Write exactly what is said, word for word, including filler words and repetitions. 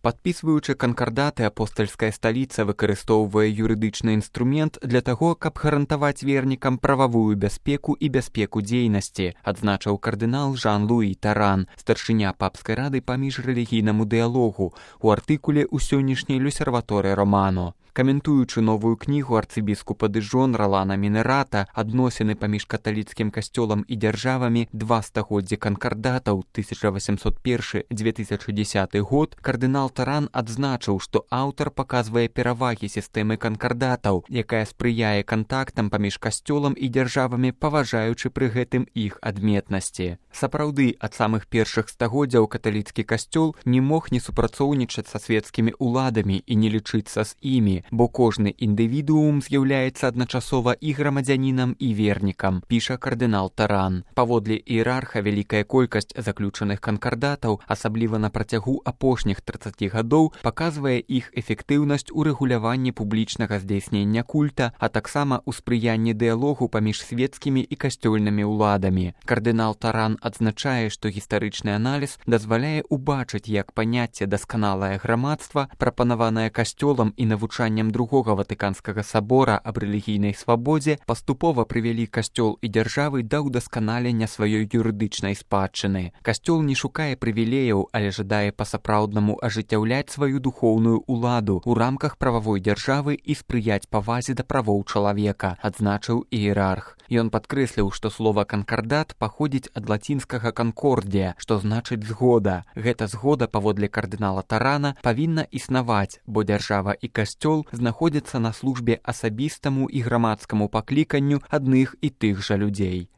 Падпісваючы канкардаты, апостальская сталіца выкарыстоўвае юрыдычны інструмент для таго, каб гарантаваць вернікам прававую бяспеку і бяспеку дзейнасці, адзначыў кардынал Жан-Луі Таран, старшыня папскай рады па міжрэлігійнаму дыялогу, у артыкуле ў сённяшняй Люсерваторе Романо. Каментуючы новую кнігу арцыбіскупа Дыжон Ролана Мінерата «Адносіны паміж каталіцкім касцёлам і дзяржавамі два стагоддзі канкардатаў тысяча восемьсот першы - две тысячи дзесяты год», кардынал Таран адзначыў, што аўтар паказвае перавагі сістэмы канкардатаў, якая спрыяе кантактам паміж касцёлам і дзяржавамі, паважаючы пры гэтым іх адметнасці. Сапраўды, ад самых першых стагоддзяў каталіцкі касцёл не мог не супрацоўнічаць са свецкімі ўладамі і не лічыцца з імі, бо кожны індывідуум з'яўляецца адначасова і грамадзянінам, і вернікам, піша кардынал Таран. Паводле іерарха, вялікая колькасць заключаных канкардатаў, асабліва на працягу апошніх трыццаці гадоў, паказвае іх эфектыўнасць у рэгуляванні публічнага здзяйснення культа, а таксама ў спрыянні дыялогу паміж свецкімі і касцёльнымі ўладамі. Кардынал Таран адзначае, што гістарычны аналіз дазваляе убачыць, як паняцце «дасканалае грамадства», прапанаванае касцёлам і навучаннем другога Ватыканскага сабора аб рэлігійнай свабодзе, паступова прывялі касцёл і дзяржавы да ўдасканалення сваёй юрыдычнай спадчыны. Касцёл не шукае прывілеяў, але жадае па-сапраўднаму ажыццяўляць сваю духоўную ўладу ў рамках прававой дзяржавы і спрыяць павазе да правоў чалавека, адзначыў іерарх. Ён падкрэсліў, што слова «канкардат» паходзіць ад лацінскага «канкордія», што значыць «згода». Гэта згода, паводле кардынала Тарана, павінна існаваць, бо дзяржава і касцёл знаходзяцца на службе асабістаму і грамадскаму пакліканню адных і тых жа людзей.